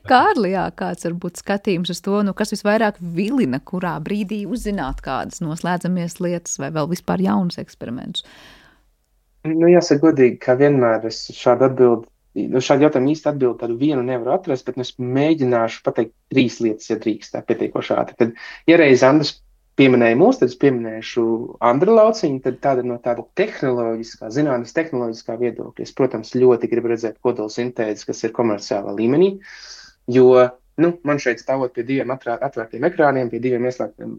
Kārli, kāds varbūt skatījums uz to, kas visvairāk vilina, kurā brīdī uzzināt kādas noslēdzamies lietas vai vēl vispār jaunus eksperimentus? Jāsaka godīgi, ka vienmēr es šādu jautājumu īsti atbildi tādu vienu nevaru atrast, bet es mēģināšu pateikt 3 lietas, ja drīkst tā pietiekoši ātri. Tad, ja reiz Andris pieminēja mūs, tad es pieminēšu Andra lauciņu, tad tāda no tāda tehnoloģiskā, zinātnes tehnoloģiskā viedokļa. Es, protams, ļoti gribu redzēt kodolsintēzi, kas ir komerciālā līmenī, jo man šeit stāvot pie 2 atvērtiem ekrāniem, pie 2 ieslēgtiem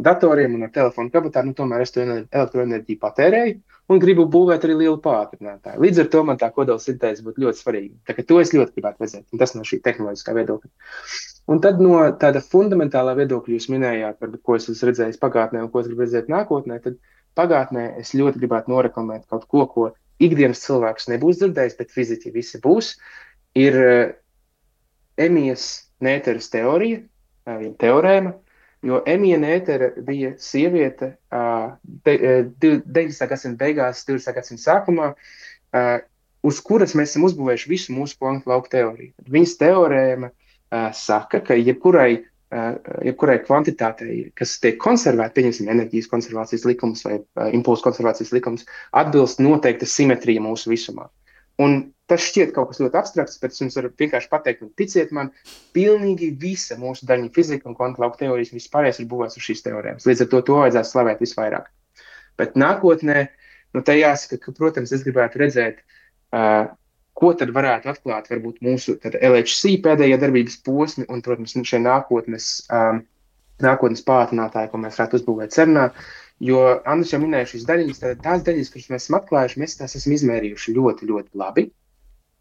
datoriem un ar telefonu kabatā, tomēr es to elektroenerģiju patērēju un gribu būvēt arī lielu pātrinātāju. Līdz ar to man tā kodolsintēze būtu ļoti svarīga. Tā kā to es ļoti gribētu redzēt, un tas no šī tehnoloģiskā viedokļa. Un tad no tāda fundamentālā viedokļa jūs minējāt, ko es esmu redzējis pagātnē un ko es gribu redzēt nākotnē, tad pagātnē es ļoti gribētu noreklamēt kaut ko ikdienas cilvēks nebūs dzirdējis, bet fiziķi visi būs, ir Emijas Nēteres teorija, teorēma, jo Emija Nētere bija sieviete 19. gadsimta beigās, 20. gadsimta sākumā, uz kuras mēs esam uzbūvējuši visu mūsu kvantu lauku teoriju. Viņas teorēma saka, ka jebkurai kvantitātei, kas tiek konservēta, pieņemsim enerģijas konservācijas likums vai impulsu konservācijas likums, atbilst noteikta simetrija mūsu visumā. Un tas šķiet kaut kas ļoti abstrakts, bet es jums varu vienkārši pateikt, un ticiet man, pilnīgi visa mūsu daļņu fizika un kvantu lauku teorijas vispārējais ir būvēts uz šīs teorēmas. Līdz ar to vajadzētu slavēt visvairāk. Bet nākotnē, te jāsaka, ka, protams, es gribētu redzēt, ko tad varētu atklāt varbūt mūsu LHC pēdējā darbības posmi un, protams, šie nākotnes pātrinātāji, ko mēs varētu uzbūvēt CERNā. Jo Andris jau minēja šīs daļiņas, tās daļiņas, kuras mēs esam atklājuši, mēs tās esam izmērījuši ļoti, ļoti labi.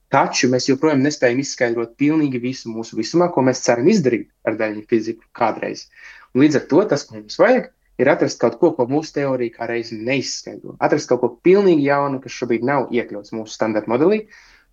Taču mēs joprojām nespējam izskaidrot pilnīgi visu mūsu visumā, ko mēs ceram izdarīt ar daļiņu fiziku kādreiz. Un līdz ar to tas, ko mums vajag, ir atrast kaut ko mūsu teorija kā reizi neizskaidro. Atrast kaut ko pilnīgi jaunu, kas šobrīd nav iekļauts mūsu standarta modelī.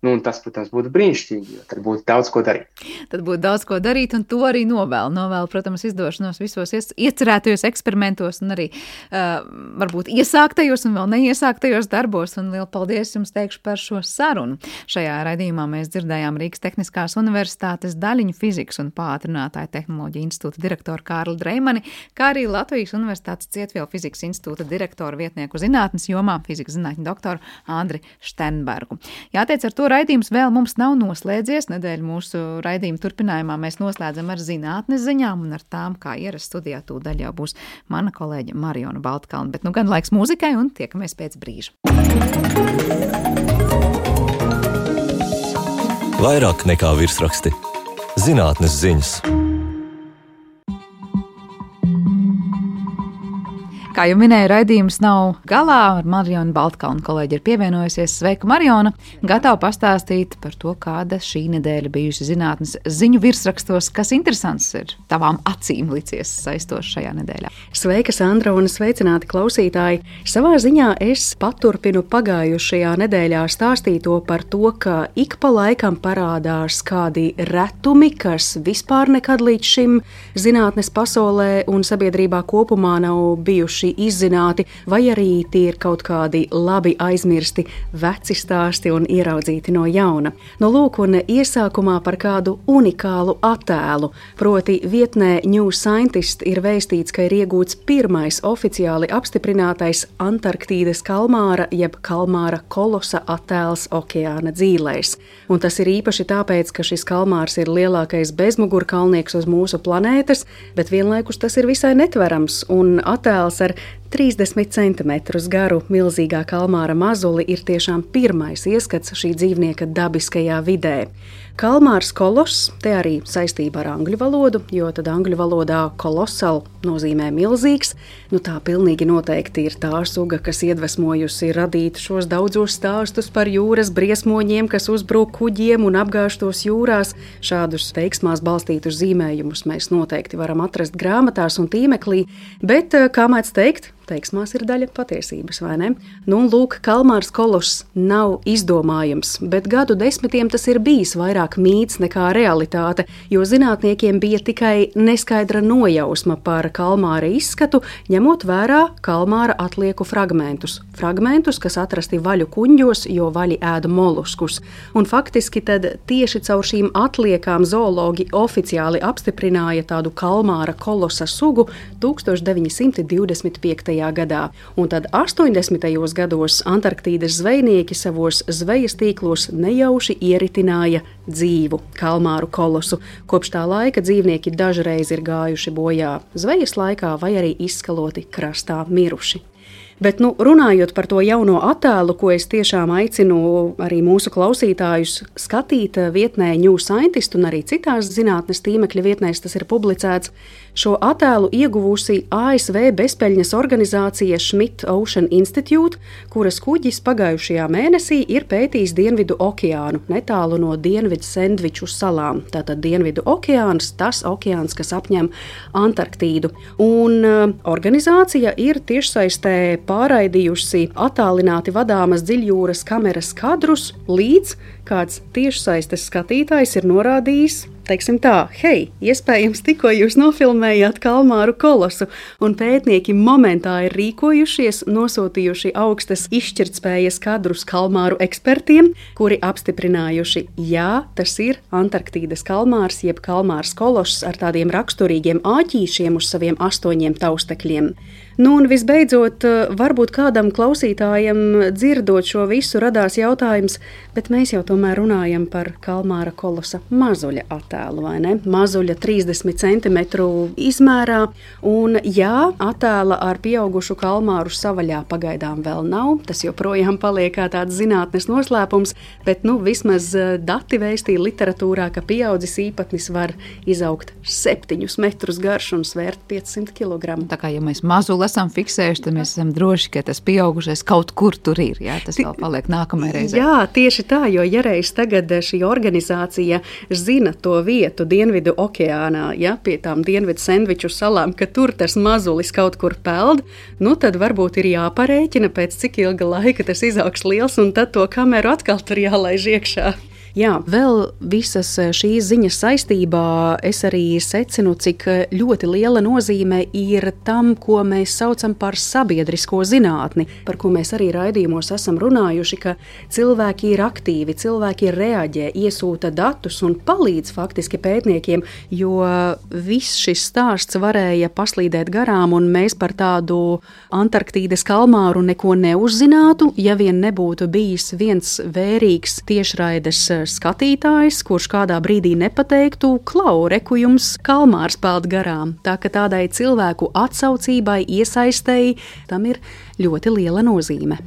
Un tas, protams, būtu brīnišķīgi, jo tad būtu daudz ko darīt. Tad būtu daudz ko darīt, un to arī novēlu, protams, izdošanos visos iecerētajos eksperimentos un arī varbūt iesāktajos un vēl neiesāktajos darbos. Un lielu paldies jums teikšu par šo sarunu. Šajā raidījumā mēs dzirdējām Rīgas Tehniskās Universitātes daļiņu fizikas un pātrinātāju tehnoloģiju institūta direktoru Kārli Dreimani, kā arī Latvijas Universitātes Cietvielu fizikas institūta direktoru vietnieku zinātnes jomā, fizikas zinātņu doktoru Andri Štenbergu. Jāteic, ar to raidījums vēl mums nav noslēdzies. Nedēļu mūsu raidījuma turpinājumā mēs noslēdzam ar zinātnes ziņām un ar tām, kā ierasts studijā tūdaļ jau būs mana kolēģe Mariona Baltkalna. Bet gan laiks mūzikai un tiekamies pēc brīža. Vairāk nekā virsraksti. Zinātnes ziņas. Kā jau minēju, raidījums nav galā. Ar Marionu Baltkalnu kolēģi ir pievienojusies. Sveika, Mariona! Gatava pastāstīt par to, kāda šī nedēļa bijusi zinātnes ziņu virsrakstos, kas interesants ir tavām acīm licies saistoši šajā nedēļā. Sveika, Sandra, un sveicināti klausītāji! Savā ziņā es paturpinu pagājušajā nedēļā stāstīto par to, ka ik pa laikam parādās kādi retumi, kas vispār nekad līdz šim zinātnes pasaulē un sabiedrībā kopumā nav bijuši izzināti, vai arī tie ir kaut kādi labi aizmirsti veci stāsti un ieraudzīti no jauna. No lūk, un iesākumā par kādu unikālu attēlu, proti vietnē New Scientist ir vēstīts, ka ir iegūts pirmais oficiāli apstiprinātais Antarktīdas kalmāra jeb kalmāra kolosa attēls okeāna dzīlēs. Un tas ir īpaši tāpēc, ka šis kalmārs ir lielākais bezmugurkalnieks uz mūsu planētas, bet vienlaikus tas ir visai netverams, un attēls ar 30 centimetrus garu milzīgā kalmāra mazuli ir tiešām pirmais ieskats šī dzīvnieka dabiskajā vidē. Kalmārs koloss, te arī saistība ar angļu valodu, jo tad angļu valodā kolosal nozīmē milzīgs. Tā pilnīgi noteikti ir tā suga, kas iedvesmojusi radīt šos daudzos stāstus par jūras briesmoņiem, kas uzbrūk kuģiem un apgāžtos jūrās. Šādus teiksmās balstītus zīmējumus mēs noteikti varam atrast grāmatās un tīmeklī, bet, kā mēdz teikt, teiksmās ir daļa patiesības, vai ne? Lūk, kalmārs koloss nav izdomājums, bet gadu desmitiem tas ir bijis vairāk mīts nekā realitāte, jo zinātniekiem bija tikai neskaidra nojausma par kalmāra izskatu, ņemot vērā kalmāra atlieku fragmentus. Fragmentus, kas atrasti vaļu kuņģos, jo vaļi ēda moluskus. Un faktiski tad tieši caur šīm atliekām zoologi oficiāli apstiprināja tādu kalmāra kolosa sugu 1925. gadā. Un tad 80. gados Antarktīdas zvejnieki savos zvejas tīklos nejauši ieritināja dzīvu kalmāru kolosu. Kopš tā laika dzīvnieki dažreiz ir gājuši bojā zvejas laikā vai arī izskaloti krastā miruši. Bet, runājot par to jauno attēlu, ko es tiešām aicinu arī mūsu klausītājus skatīt vietnē New Scientist un arī citās zinātnes tīmekļa vietnēs tas ir publicēts, šo attēlu ieguvusi ASV bezpeļņas organizācija Schmidt Ocean Institute, kuras kuģis pagājušajā mēnesī ir pētījis Dienvidu okeānu, netālu no Dienvidu Sendviču salām. Tātad Dienvidu okeāns, tas okeāns, kas apņem Antarktīdu. Un organizācija ir tiešsaistē pārraidījusi attālināti vadāmas dziļjūras kameras kadrus, līdz kāds tiešsaistes skatītājs ir norādījis, teiksim tā, hei, iespējams tikko jūs nofilmējāt kalmāru kolosu, un pētnieki momentā ir rīkojušies, nosūtījuši augstas izšķirtspējas kadrus kalmāru ekspertiem, kuri apstiprinājuši, jā, tas ir Antarktīdas kalmārs, jeb kalmārs koloss ar tādiem raksturīgiem āķīšiem uz saviem 8 taustekļiem. Un visbeidzot, varbūt kādam klausītājam dzirdot šo visu radās jautājums, bet mēs jau tomēr runājam par kalmāra kolosa mazuļa attēlu, vai ne? Mazuļa 30 centimetru izmērā, un jā, attēla ar pieaugušu kalmāru savaļā pagaidām vēl nav, tas joprojām paliek kā tāds zinātnes noslēpums, bet vismaz dati vēstīja literatūrā, ka pieaudzis īpatnis var izaugt 7 metrus garš un svērt 500 kg. Tā kā, ja mēs mazuli esam fiksējuši, tad mēs esam droši, ka tas pieaugušais kaut kur tur ir, jā, tas vēl paliek nākamajai reizē. Jā, tieši tā, jo ja reiz tagad šī organizācija zina to vietu Dienvidu okeānā, ja, pie tām Dienvidu Sendviču salām, ka tur tas mazulis kaut kur peld, tad varbūt ir jāparēķina, pēc cik ilga laika tas izaugs liels, un tad to kameru atkal tur jālaiž iekšā. Jā, vēl visas šīs ziņas saistībā es arī secinu, cik ļoti liela nozīme ir tam, ko mēs saucam par sabiedrisko zinātni, par ko mēs arī raidījumos esam runājuši, ka cilvēki ir aktīvi, cilvēki reaģē, iesūta datus un palīdz faktiski pētniekiem, jo viss šis stāsts varēja paslīdēt garām un mēs par tādu Antarktīdas kalmāru neko neuzzinātu, ja vien nebūtu bijis viens vērīgs tiešraides skatītājs, kurš kādā brīdī nepateiktu, klau, reku jums kalmārs peld garām. Tā ka tādai cilvēku atsaucībai, iesaistēji, tam ir ļoti liela nozīme.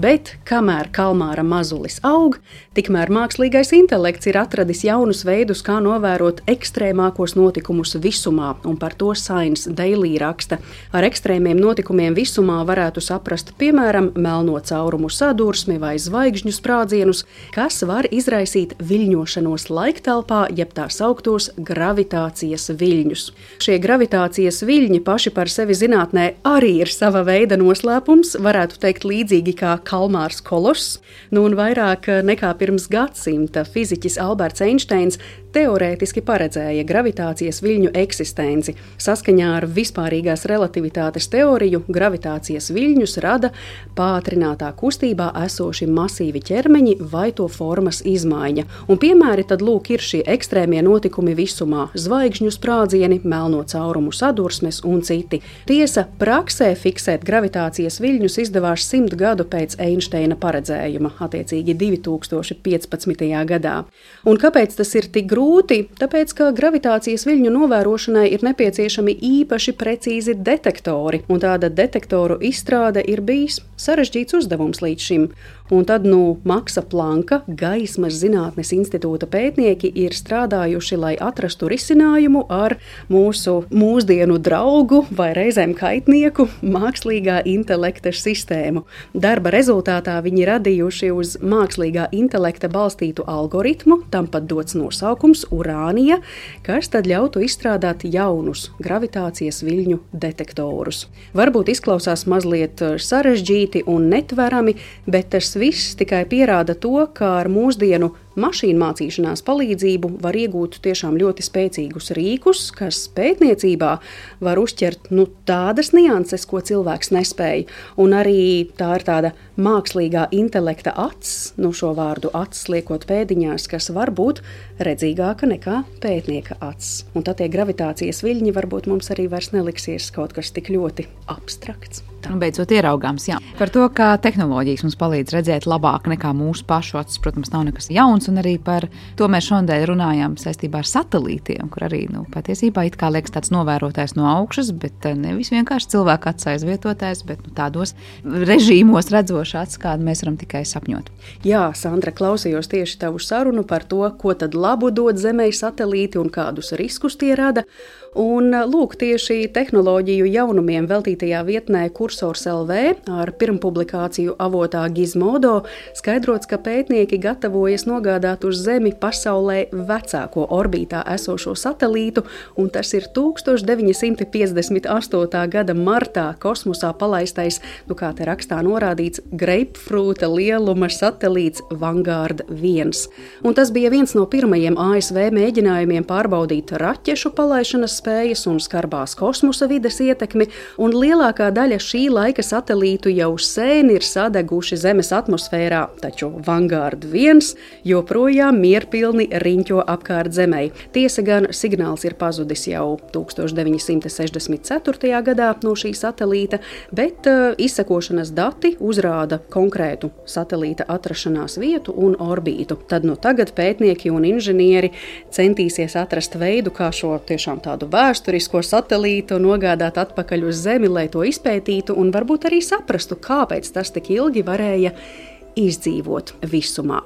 Bet kamēr kalmāra mazulis aug, tikmēr mākslīgais intelekts ir atradis jaunus veidus, kā novērot ekstrēmākos notikumus visumā, un par to Science Daily raksta. Ar ekstrēmiem notikumiem visumā varētu saprast, piemēram, melno caurumu sadursmi vai zvaigžņu sprādzienus, kas var izraisīt viļņošanos laiktelpā, jeb tā sauktos gravitācijas viļņus. Šie gravitācijas viļņi paši par sevi zinātnē arī ir sava veida noslēpums, varētu teikt līdzīgi kā kalmārs koloss, un vairāk nekā pirms gadsimta fiziķis Alberts Einsteins teorētiski paredzēja gravitācijas viļņu eksistenci. Saskaņā ar vispārīgās relativitātes teoriju gravitācijas viļņus rada pātrinātā kustībā esoši masīvi ķermeņi vai to formas izmaiņa. Un piemēri tad lūk ir šie ekstrēmie notikumi visumā – zvaigžņu sprādzieni, melno caurumu sadursmes un citi. Tiesa, praksē fiksēt gravitācijas viļņus izdevās 100 gadu pēc Einsteina paredzējuma, attiecīgi 2015. gadā. Un kāpēc tas ir tik grūti grūti, tāpēc, ka gravitācijas viļņu novērošanai ir nepieciešami īpaši precīzi detektori, un tāda detektoru izstrāde ir bijis sarežģīts uzdevums līdz šim. Un tad Maksa Planka Gaismas zinātnes institūta pētnieki ir strādājuši, lai atrastu risinājumu ar mūsu mūsdienu draugu vai reizēm kaitnieku mākslīgā intelekta sistēmu. Darba rezultātā viņi radījuši uz mākslīgā intelekta balstītu algoritmu, tam pat dots nosaukums Urānija, kas tad ļautu izstrādāt jaunus gravitācijas viļņu detektorus. Varbūt izklausās mazliet sarežģīti un netverami, bet tas viss tikai pierāda to, ka ar mūsdienu mašīnu mācīšanās palīdzību var iegūt tiešām ļoti spēcīgus rīkus, kas pētniecībā var uzķert tādas nianses, ko cilvēks nespēja. Un arī tā ir tāda mākslīgā intelekta acs, šo vārdu acs liekot pēdiņās, kas var būt redzīgāka nekā pētnieka acs. Un tad tie gravitācijas viļņi varbūt mums arī vairs neliksies kaut kas tik ļoti abstrakts. Beidzot ieraugāms, jā. Par to, kā tehnoloģijas mums palīdz redzēt labāk nekā mūsu pašu acis, protams, nav nekas jauns, un arī par to mēs šodien runājām saistībā ar satelītiem, kur arī, patiesībā it kā liekas tāds novērotājs no augšas, bet nevis vienkārši cilvēka acis aizvietotājs, bet tādos režīmos redzošs acis, kādu mēs varam tikai sapņot. Jā, Sandra, klausījos tieši tavu sarunu par to, ko tad labu dod Zemei satelīti un kādus riskus tie rada. Un lūk, tieši tehnoloģiju jaunumiem veltītajā vietnē Kursors LV ar pirmpublikāciju avotā Gizmodo skaidrots, ka pētnieki gatavojas nogādāt uz Zemi pasaulē vecāko orbītā esošo satelītu, un tas ir 1958. gada martā kosmosā palaistais, kā te rakstā norādīts, greipfrūta lieluma satelīts Vanguard 1. Un tas bija viens no pirmajiem ASV mēģinājumiem pārbaudīt raķešu palaišanas spējas un skarbās kosmosa vides ietekmi, un lielākā daļa šī laika satelītu jau sen ir sadeguši Zemes atmosfērā, taču Vanguard 1 joprojām mierpilni riņķo apkārt Zemei. Tiesa gan signāls ir pazudis jau 1964. gadā no šī satelīta, bet izsekošanas dati uzrāda konkrētu satelīta atrašanās vietu un orbītu. Tad tagad pētnieki un inženieri centīsies atrast veidu, kā šo tiešām tādu vēsturisko satelītu nogādāt atpakaļ uz Zemi, lai to izpētītu un varbūt arī saprastu, kāpēc tas tik ilgi varēja izdzīvot visumā.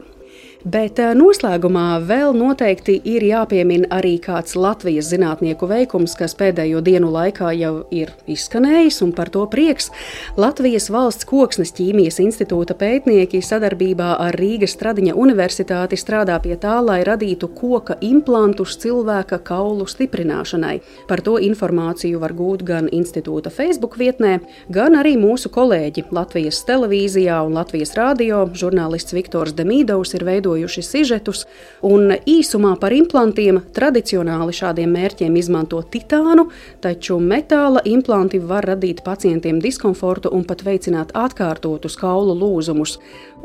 Bet noslēgumā vēl noteikti ir jāpiemina arī kāds Latvijas zinātnieku veikums, kas pēdējo dienu laikā jau ir izskanējis, un par to prieks. Latvijas Valsts Koksnes ķīmijas institūta pētnieki sadarbībā ar Rīgas Stradiņa universitāti strādā pie tā, lai radītu koka implantus cilvēka kaulu stiprināšanai. Par to informāciju var gūt gan institūta Facebook vietnē, gan arī mūsu kolēģi Latvijas televīzijā un Latvijas radio. Žurnālists Viktors Demīdovs ir veidojuši sižetus, un īsumā par implantiem tradicionāli šādiem mērķiem izmanto titānu, taču metāla implanti var radīt pacientiem diskomfortu un pat veicināt atkārtotus kaulu lūzumus.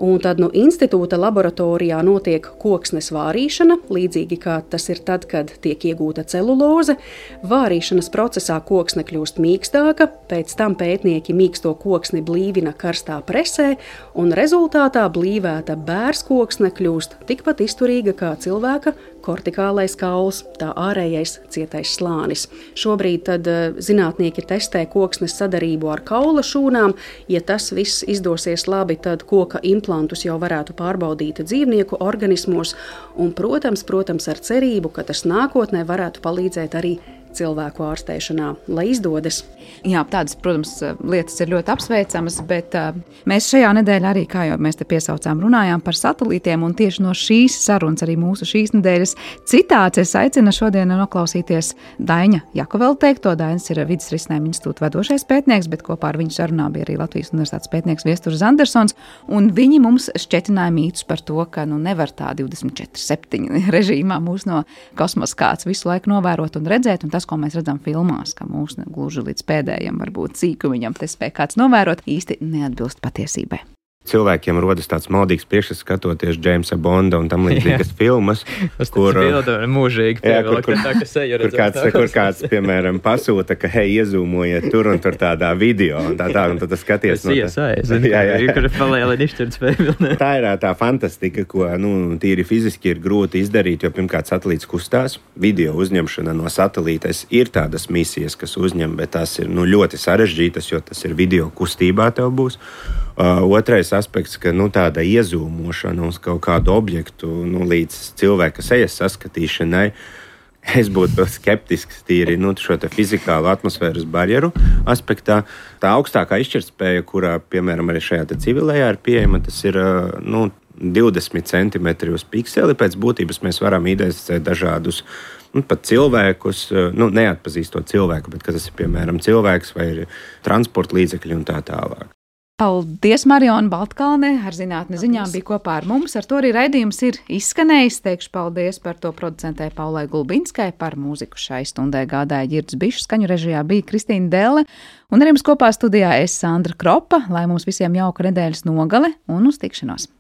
Un tad institūta laboratorijā notiek koksnes vārīšana, līdzīgi kā tas ir tad, kad tiek iegūta celuloze. Vārīšanas procesā koksne kļūst mīkstāka, pēc tam pētnieki mīksto koksni blīvina karstā presē, un rezultātā blīvēta bērskoksne kļūst tikpat izturīga kā cilvēka kortikālais kauls, tā ārējais cietais slānis. Šobrīd tad zinātnieki testē koksnes sadarību ar kaula šūnām. Ja tas viss izdosies labi, tad koka implantus jau varētu pārbaudīt dzīvnieku organismos un, protams, ar cerību, ka tas nākotnē varētu palīdzēt arī cilvēku ārstēšanā, lai izdodas. Jā, tādas, protams, lietas ir ļoti apsveicamas, bet mēs šajā nedēļā arī, kā jau mēs te piesaucām, runājām par satelītiem, un tieši no šīs sarunas, arī mūsu šīs nedēļas citāts, es aicinu šodien noklausīties Daņa Jakovela teikto. Daņas ir Vides risinājuma institūta vadošais pētnieks, bet kopā ar viņu sarunā bija arī Latvijas universitātes pētnieks Viesturs Andersons, un viņi mums šķetināja mītus par to, ka nevar tā 24/7 režīmā mūs no kosmosa kāds visu laiku novērot un redzēt, un tas, ko mēs redzam filmās, ka mūs gluži līdz pēdējiem varbūt sīkumiņam te spēj kāds novērot, īsti neatbilst patiesībai. Cilvēkiem rodas tāds maldīgs priekšstats skatoties Jamesa Bonda un tam līdzīgas filmas, kur kāds, piemēram, pasūta, ka, hei, iezūmojiet tur un tur tādā video, un tad tas skaties. Tā ir tā fantastika, ko, tīri fiziski ir grūti izdarīt, jo pirmkārt satelīts kustās, video uzņemšana no satelītes ir tādas misijas, kas uzņem, bet tās ir, ļoti sarežģītas, jo tas ir video kustībā tev būs. Otrais aspekts, ka tāda iezūmošana uz kaut kādu objektu līdz cilvēka sejas saskatīšanai, es būtu skeptisks tīri šo te fizikālu atmosfēras barjeru aspektā. Tā augstākā izšķirtspēja, kurā, piemēram, arī šajā te civilējā ir pieejama, tas ir 20 centimetri uz pikseli. Pēc būtības mēs varam identificēt dažādus pat cilvēkus, neatpazīstot cilvēku, bet ka tas ir, piemēram, cilvēks vai transporta līdzekļi un tā tālāk. Paldies, Mariona Baltkalne, ar zinātnes ziņām bija kopā ar mums. Ar to arī raidījums ir izskanējis. Teikšu paldies par to producentē Paulai Gulbinskai, par mūziku šai stundai gādāja Ģirds Bišs, skaņu režijā bija Kristīna Delle, un arī mums kopā studijā es Sandra Kropa, lai mums visiem jauka nedēļas nogale un uz tikšanos.